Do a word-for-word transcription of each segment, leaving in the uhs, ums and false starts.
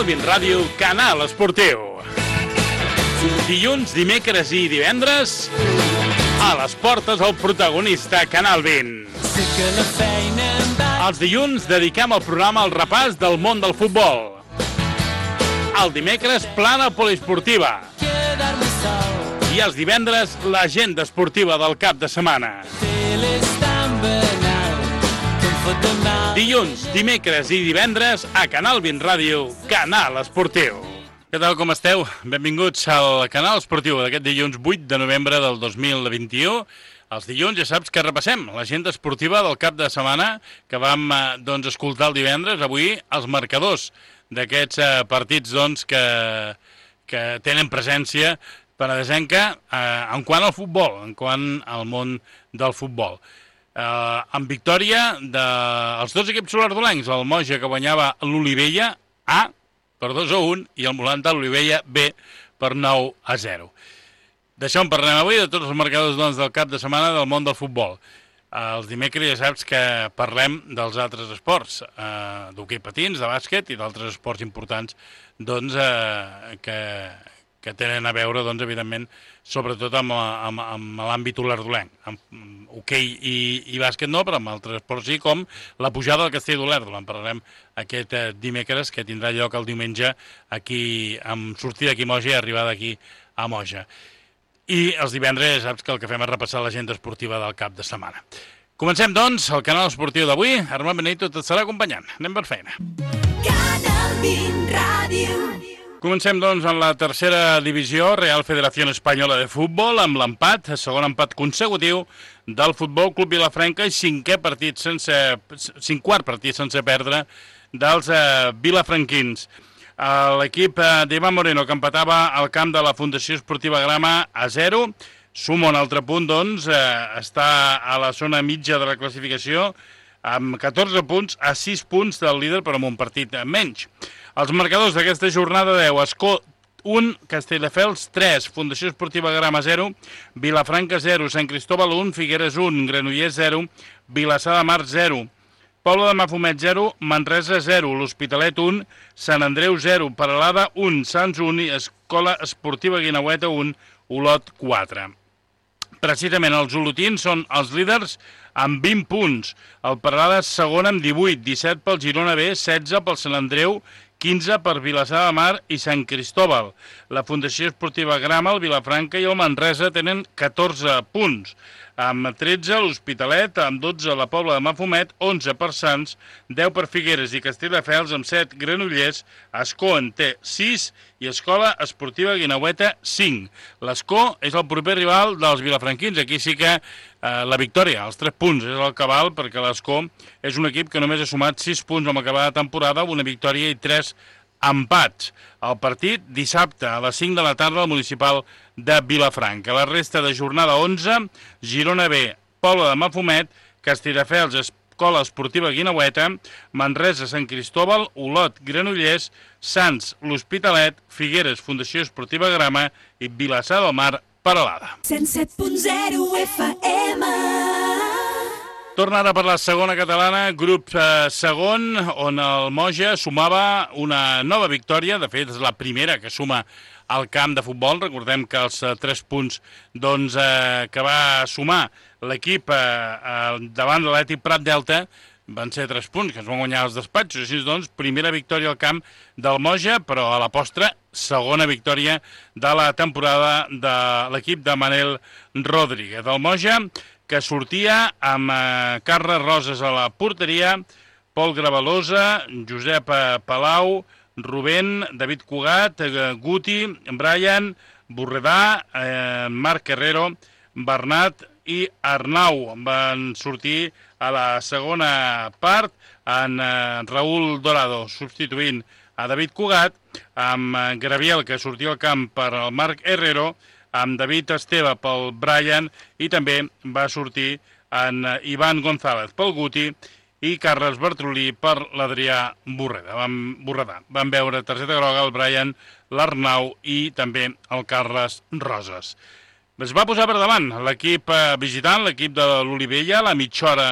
Bin Ràdio, Canal Esportiu. Dilluns, dimecres i divendres, a les portes el protagonista Canal Bin. Els dilluns dediquem el programa al repàs del món del futbol. El dimecres, plana poliesportiva. I els divendres, l'agenda esportiva del cap de setmana. Dilluns, dimecres i divendres a Canal Bin Ràdio, Canal Esportiu. Què tal, com esteu? Benvinguts al Canal Esportiu d'aquest dilluns vuit de novembre del dos mil vint-i-u. Els dilluns ja saps que repassem l'agenda esportiva del cap de setmana que vam doncs, escoltar el divendres. Avui els marcadors d'aquests eh, partits doncs, que, que tenen presència penedesenca eh, en quant al futbol, en quant al món del futbol. Uh, amb victòria dels dos equips solardolencs, el Moja que guanyava l'Olivella A per dos a un i el Molanta l'Olivella B per nou a zero. D'això en parlem avui, de tots els marcadors doncs, del cap de setmana del món del futbol. Uh, els dimecres ja saps que parlem dels altres esports, uh, d'hoquei patins, de bàsquet i d'altres esports importants doncs, uh, que, que tenen a veure, doncs, evidentment, sobretot amb, amb, amb l'àmbit olerdolenc. Amb hoquei i, i bàsquet no, però amb altres esports sí, com la pujada del Castell d'Olèrdola. En parlarem aquest eh, dimecres, que tindrà lloc el diumenge aquí, amb sortida aquí a Moja i arribada aquí a Moja. I els divendres saps que el que fem és repassar l'agenda esportiva del cap de setmana. Comencem, doncs, el canal esportiu d'avui. Armand Benito et estarà acompanyant. Anem per feina. Canal Bin Ràdio. Comencem, doncs, en la tercera divisió, Real Federación Española de Futbol, amb l'empat, segon empat consecutiu del Futbol Club Vilafranca i cinquè partit sense, cinc quart partit sense perdre dels eh, vilafranquins. Eh, L'equip eh, d'Ivan Moreno, que empatava al camp de la Fundació Esportiva Grama a zero, suma un altre punt, doncs, eh, està a la zona mitja de la classificació, amb catorze punts a sis punts del líder, però amb un partit menys. Els marcadors d'aquesta jornada deu, Escó un, Castelldefels tres, Fundació Esportiva Grama zero, Vilafranca zero, Sant Cristóbal un, Figueres un, Granollers zero, Vilassar de Mar zero, Pobla de Mafumet zero, Manresa zero, l'Hospitalet un, Sant Andreu zero, Peralada un, Sants un i Escola Esportiva Guineueta un, Olot quatre. Precisament els olotins són els líders amb vint punts. El Peralada segon amb divuit, disset pel Girona B, setze pel Sant Andreu, quinze per Vilassar de Mar i Sant Cristóbal. La Fundació Esportiva Grama, el Vilafranca i el Manresa tenen catorze punts. Amb tretze l'Hospitalet, amb dotze la Pobla de Mafumet, onze per Sants, deu per Figueres i Castelldefels, amb set Granollers, Escó en té sis i Escola Esportiva Guineueta cinc. L'Escó és el proper rival dels vilafranquins. Aquí sí que eh, la victòria, els tres punts, és el cabal, perquè l'Escó és un equip que només ha sumat sis punts amb acabada de temporada, una victòria i tres empats. El partit dissabte a les cinc de la tarda al municipal de Vilafranca. La resta de jornada onze, Girona B, Pobla de Mafumet, Castelldefels, Escola Esportiva Guineueta, Manresa, Sant Cristóbal, Olot, Granollers, Sants, l'Hospitalet, Figueres, Fundació Esportiva Grama i Vilassar del Mar, Peralada. cent set punt zero F M. Torna ara per la segona catalana, grup eh, segon, on el Moja sumava una nova victòria. De fet, és la primera que suma al camp de futbol. Recordem que els eh, tres punts doncs, eh, que va sumar l'equip eh, eh, davant de l'Atlètic Prat Delta van ser tres punts, que es van guanyar els despatxos. Així doncs, primera victòria al camp del Moja, però a la postre, segona victòria de la temporada de l'equip de Manel Rodríguez. El Moja, que sortia amb eh, Carles Roses a la porteria, Pol Gravalosa, Josep eh, Palau, Rubén, David Cugat, eh, Guti, Brian, Borredà, eh, Marc Herrero, Bernat i Arnau. Van sortir a la segona part en eh, Raúl Dorado substituint a David Cugat, amb eh, Graviel, que sortia al camp per al Marc Herrero, amb David Esteve pel Brian i també va sortir en Ivan González pel Guti i Carles Bertrolí per l'Adrià Borreda. Van, Borredà. Van veure targeta groga el Brian, l'Arnau i també el Carles Roses. Es va posar per davant l'equip visitant, l'equip de l'Olivella, a la mitja hora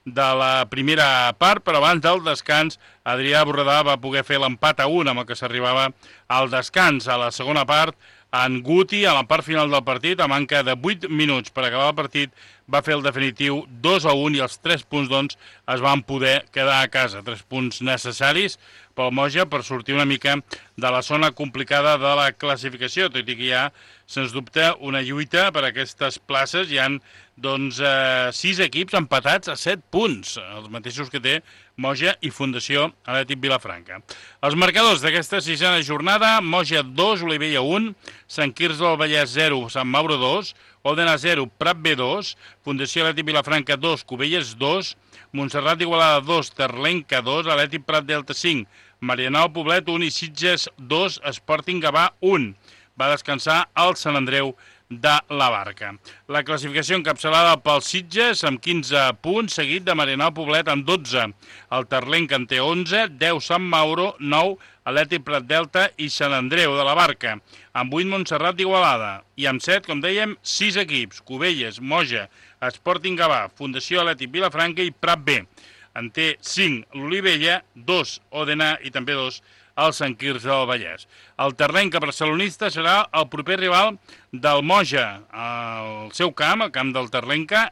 de la primera part, però abans del descans Adrià Borredà va poder fer l'empat a un amb el que s'arribava al descans. A la segona part, en Guti, a la part final del partit, a manca de vuit minuts per acabar el partit, va fer el definitiu dos a un i els tres punts, doncs, es van poder quedar a casa. Tres punts necessaris pel Moja per sortir una mica de la zona complicada de la classificació, tot i que hi ha, sens dubte, una lluita per aquestes places. Hi ha, doncs, eh, sis equips empatats a set punts, els mateixos que té Moja i Fundació Atlètic Vilafranca. Els marcadors d'aquesta sisena jornada: Moja dos, Olivella un, Sant Quirze del Vallès zero, Sant Mauro dos, Òdena zero, Prat B dos, Fundació Atlètic Vilafranca dos, Cubelles dos, Montserrat Igualada dos, Terlenca dos, Atlètic Prat Delta cinc, Marianao Poblet un i Sitges dos, Sporting Gavà un. Va descansar el Sant Andreu de la Barca. La classificació encapçalada pel Sitges amb quinze punts, seguit de Marianao Poblet amb dotze. El Terlenca en té onze, deu Sant Mauro, nou Atlètic Prat Delta i Sant Andreu de la Barca, amb vuit Montserrat d'Igualada i amb set, com dèiem, sis equips: Cubelles, Moja, Sporting Gavà, Fundació Atlètic Vilafranca i Prat B. En té cinc l'Olivella, dos Òdena i també dos el Sant Quirze del Vallès. El Terlenca barcelonista serà el proper rival del Moja al seu camp, al camp del Terlenca,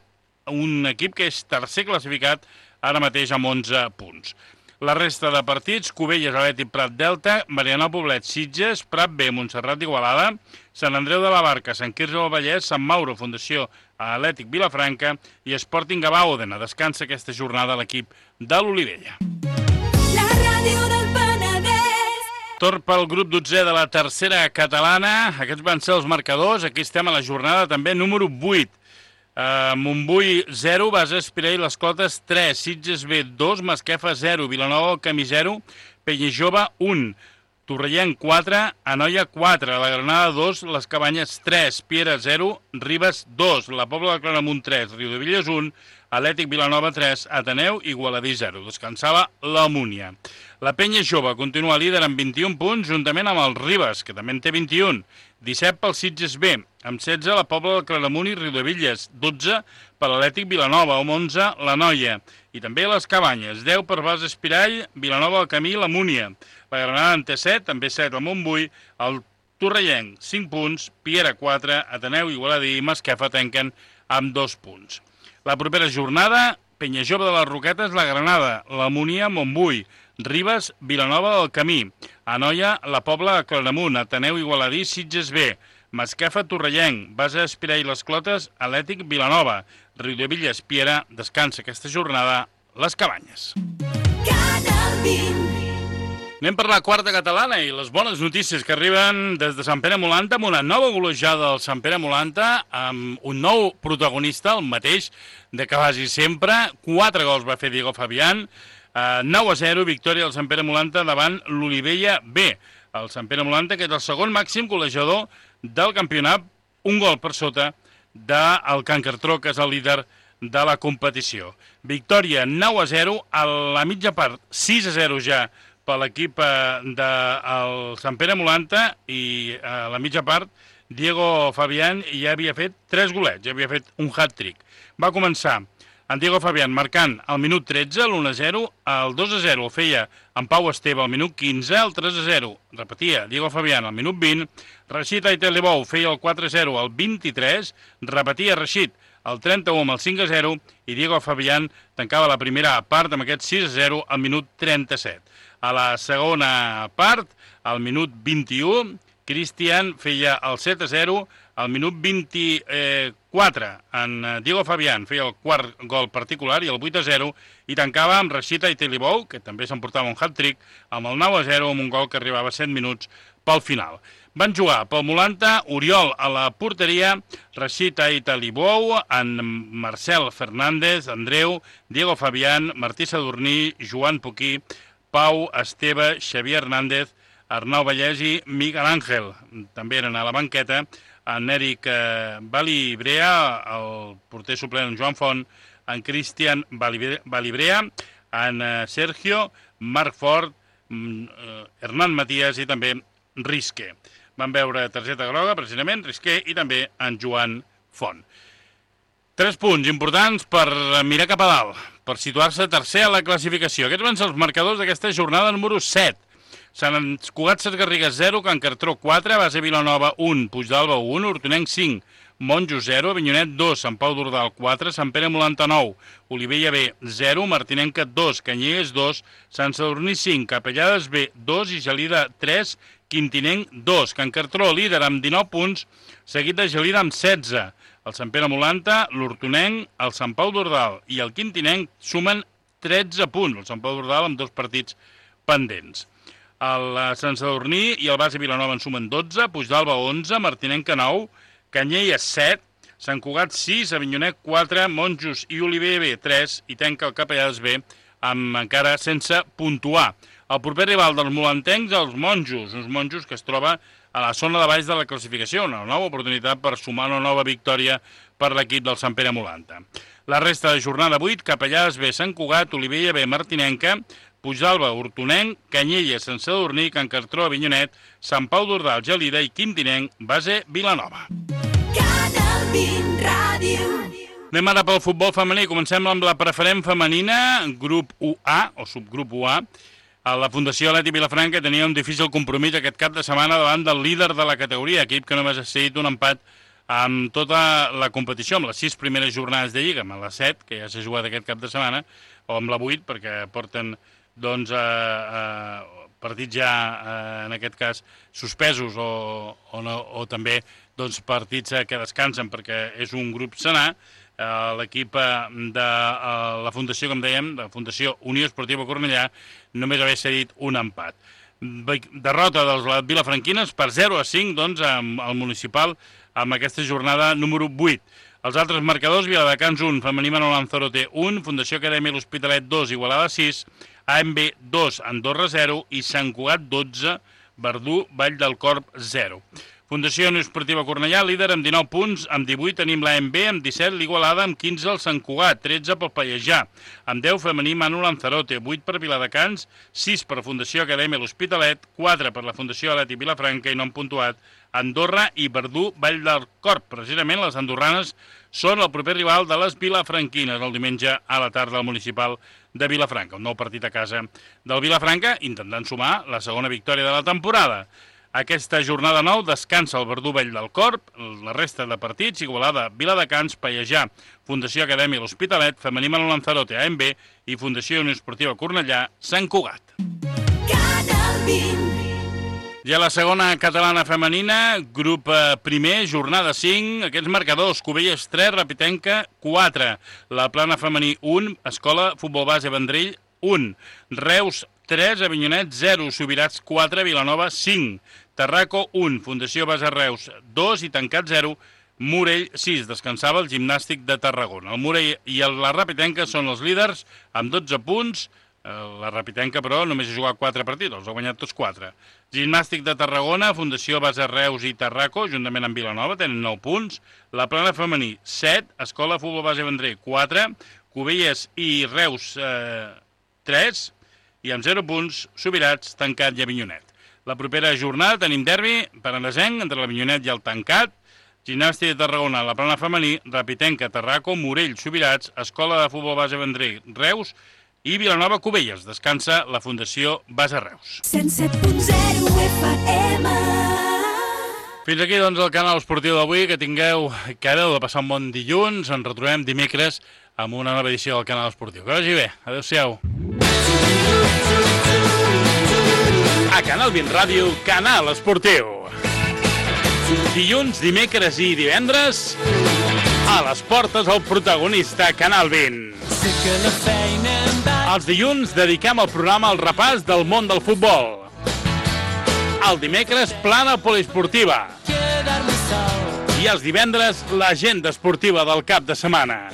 un equip que és tercer classificat ara mateix amb onze punts. La resta de partits: Cubelles, Atlètic Prat Delta, Marianao Poblet, Sitges, Prat B, Montserrat Igualada, Sant Andreu de la Barca, Sant Quirze del Vallès, Sant Mauro, Fundació Atlètic Vilafranca i Sporting Gavà Òdena. Descansa aquesta jornada l'equip de l'Olivella. La ràdio del Penedès. Torn pel grup dotzè de la tercera catalana. Aquests van ser els marcadors. Aquí estem a la jornada també número vuit. Uh, Montbui zero, Bases Pirell Les Clotes tres, Sitges B dos, Masquefa zero, Vilanova del Camí zero, Penyajove un, Torrellenc quatre, Anoia quatre, la Granada dos, Les Cabanyes tres, Piera zero, Ribes dos, la Pobla de Claramunt tres, Riudevilles un, Atlètic Vilanova tres, Ateneu i Igualadí zero. Descansava la Múnia. La Penya Jove continua líder amb vint-i-un punts, juntament amb el Ribes, que també en té vint-i-un. disset pel Sitges B, amb setze la Pobla de Claramunt i Riudevilles, dotze per l'Atlètic Vilanova, amb onze la Noia, i també les Cabanyes, deu per Bases Pirall, Vilanova del Camí i la Múnia. La Granada en té set, també set el Montbui, el Torrellenc, cinc punts, Piera quatre, Ateneu, Igualadí i Masquefa tanquen amb dos punts. La propera jornada: Penyajove de les Roquetes, la Granada, la Múnia, Montbui, Ribes, Vilanova del Camí, Anoia, la Pobla de Claramunt, Ateneu, Igualadí, Sitges B, Masquefa, Torrellenc, Bases Pirell Les Clotes, Atlètic Vilanova, Riudevilles, Piera. Descansa aquesta jornada les Cabanyes. Canal vint. Anem per la quarta catalana i les bones notícies que arriben des de Sant Pere Molanta, amb una nova golejada del Sant Pere Molanta, amb un nou protagonista, el mateix de que quasi sempre. Quatre gols va fer Diego Fabián, uh, nou a zero, victòria del Sant Pere Molanta davant l'Olivella B. El Sant Pere Molanta, que és el segon màxim golejador del campionat, un gol per sota del Can Cartró, que és el líder de la competició. Victòria nou a zero, a la mitja part sis a zero ja per l'equip del Sant Pere Molanta, i a la mitja part Diego Fabián ja havia fet tres golets, ja havia fet un hat-trick. Va començar en Diego Fabián marcant al minut tretze, l'u a zero, el dos a zero el feia en Pau Esteve al minut quinze, el tres a zero repetia Diego Fabián al minut vint, Rashid Aitelebou feia el quatre a zero al vint-i-tres, repetia Rashid el trenta-u amb el cinc a zero, i Diego Fabián tancava la primera part amb aquest sis a zero al minut trenta-set. A la segona part, al minut vint-i-u, Cristian feia el set a zero, al minut vint-i-quatre en Diego Fabián feia el quart gol particular i el vuit a zero, i tancava amb Rashid Aitelebou, que també s'emportava un hat-trick, amb el nou a zero, amb un gol que arribava a set minuts pel final. Van jugar pel Molanta Oriol a la porteria, Rashid Aitelebou, en Marcel Fernández, Andreu, Diego Fabián, Martí Sadurní, Joan Poquí, Pau Esteve, Xavier Hernández, Arnau Vallès i Miguel Ángel. També eren a la banqueta en Eric Balibrea, el porter suplent en Joan Font, en Cristian Balibrea, en Sergio, Marc Fort, Hernán Matías i també Risqué. Van veure targeta groga, precisament, Risqué, i també en Joan Font. Tres punts importants per mirar cap a dalt, per situar-se tercer a la classificació. Aquests van ser els marcadors d'aquesta jornada número set. Sant Cugat Sesgarrigues zero, Can Cartró quatre, Base Vilanova un, Puigdàlber un, Hortonenc cinc, Monjo zero, Avinyonet dos, Sant Pau d'Ordal quatre, Sant Pere Molanta nou, Olivella B zero, Martinenca dos, Canyelles dos, Sant Sadurní cinc, Capellades B dos i Gelida tres, Quintinenc dos. Can Cartró líder amb dinou punts, seguit de Gelida amb setze. El Sant Pere Molanta, l'Hortonenc, el Sant Pau d'Ordal i el Quintinenc sumen tretze punts. El Sant Pau d'Ordal amb dos partits pendents. El Sant Sadurní i el Base Vilanova en sumen dotze, Puigdàlber onze, Martinenca nou, Canyelles set, Sant Cugat sis, Avinyonet quatre, Monjos i Olivella B tres i tanca el Capellades B amb encara sense puntuar. El proper rival dels molantencs, els Monjos, uns Monjos que es troba a la zona de baix de la classificació, una nova oportunitat per sumar una nova victòria per l'equip del Sant Pere Molanta. La resta de jornada vuit, Capellades B, Sant Cugat, Olivella B, Martinenca, Puigdàlber, Hortonenc, Canyelles, Sant Sadurní, Can Cartró, Avinyonet, Sant Pau d'Ordal, Gelida i Quintinenc, Base Vilanova. Canal vint Ràdio. Anem ara pel futbol femení. Comencem amb la preferent femenina, grup u A, o subgrup u A. La Fundació Atlètic Vilafranca tenia un difícil compromís aquest cap de setmana davant del líder de la categoria, equip que només ha cedit un empat amb tota la competició, amb les sis primeres jornades de Lliga, amb les set, que ja s'ha jugat aquest cap de setmana, o amb la vuit, perquè porten doncs, eh, eh, partits ja, eh, en aquest cas, suspesos o, o, no, o també doncs, partits que descansen perquè és un grup senar. Eh, L'equip de eh, la Fundació, com dèiem, de la Fundació Unió Esportiva Cornellà, només haver cedit un empat. Derrota dels vilafranquines per zero a cinc doncs, amb el municipal amb aquesta jornada número vuit. Els altres marcadors, Viladecans un, Femení Manol Lanzarote un, Fundació Acadèmia L'Hospitalet dos, Igualada sis, A M B dos, Andorra zero i Sant Cugat dotze, Verdú, Vall del Corb zero. Fundació Unió Esportiva Cornellà, líder amb dinou punts, amb divuit tenim l'A M B, amb disset l'Igualada, amb quinze el Sant Cugat, tretze pel Pallejà, amb deu Femení Manu Lanzarote, vuit per Viladecans, sis per Fundació Acadèmia L'Hospitalet, quatre per la Fundació Atlètic Vilafranca i no han puntuat Andorra i Verdú, Vall del Corb. Precisament les andorranes són el proper rival de les vilafranquines el diumenge a la tarda al municipal de Vilafranca. Un nou partit a casa del Vilafranca, intentant sumar la segona victòria de la temporada. Aquesta jornada nou descansa el Verdú, Vall del Corb, la resta de partits, Igualada, Viladecans, Pallejà, Fundació Acadèmia L'Hospitalet, Femení Manol Lanzarote, A M B i Fundació Unió Esportiva Cornellà, Sant Cugat. Canal vint. I a la segona catalana femenina, grup primer, jornada cinc, aquests marcadors, Cubelles tres, Rapitenca quatre, la Plana femení un, Escola Futbol Base Vendrell un, Reus tres, Avinyonet zero, Subirats quatre, Vilanova cinc, Terraco un, Fundació Base Reus dos i Tancat zero, Morell sis, descansava el Gimnàstic de Tarragona. El Morell i la Rapitenca són els líders amb dotze punts, la Rapitenca, però, només ha jugat quatre partits, els ha guanyat tots quatre. Gimnàstic de Tarragona, Fundació Base Reus i Terraco, juntament amb Vilanova, tenen nou punts. La Plana femení, set. Escola Futbol Base Vendrell, quatre. Cubelles i Reus, eh, tres. I amb zero punts, Subirats, Tancat i Avinyonet. La propera jornada tenim derbi per Andesenc, entre l'Avinyonet i el Tancat. Gimnàstic de Tarragona, la Plana femení, Rapitenca, Terraco, Morell, Subirats, Escola de Futbol Base Vendrell, Reus i Vilanova Cubelles. Descansa la Fundació Base Reus. cent set punt zero F M. Fins aquí, doncs, el canal esportiu d'avui. Que tingueu, que heu de passar un bon dilluns. Ens retrobem dimecres amb una nova edició del canal esportiu. Que vagi bé. Adéu-siau. A Canal vint Ràdio, canal esportiu. Dilluns, dimecres i divendres, a les portes el protagonista Canal vint. Els dilluns dediquem el programa al repàs del món del futbol. El dimecres, plana poliesportiva. I els divendres, l'agenda esportiva del cap de setmana.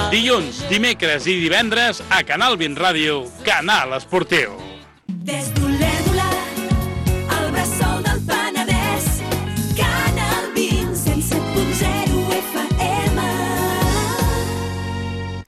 Dilluns, dimecres i divendres, a Canal vint Ràdio, canal esportiu. Des d'un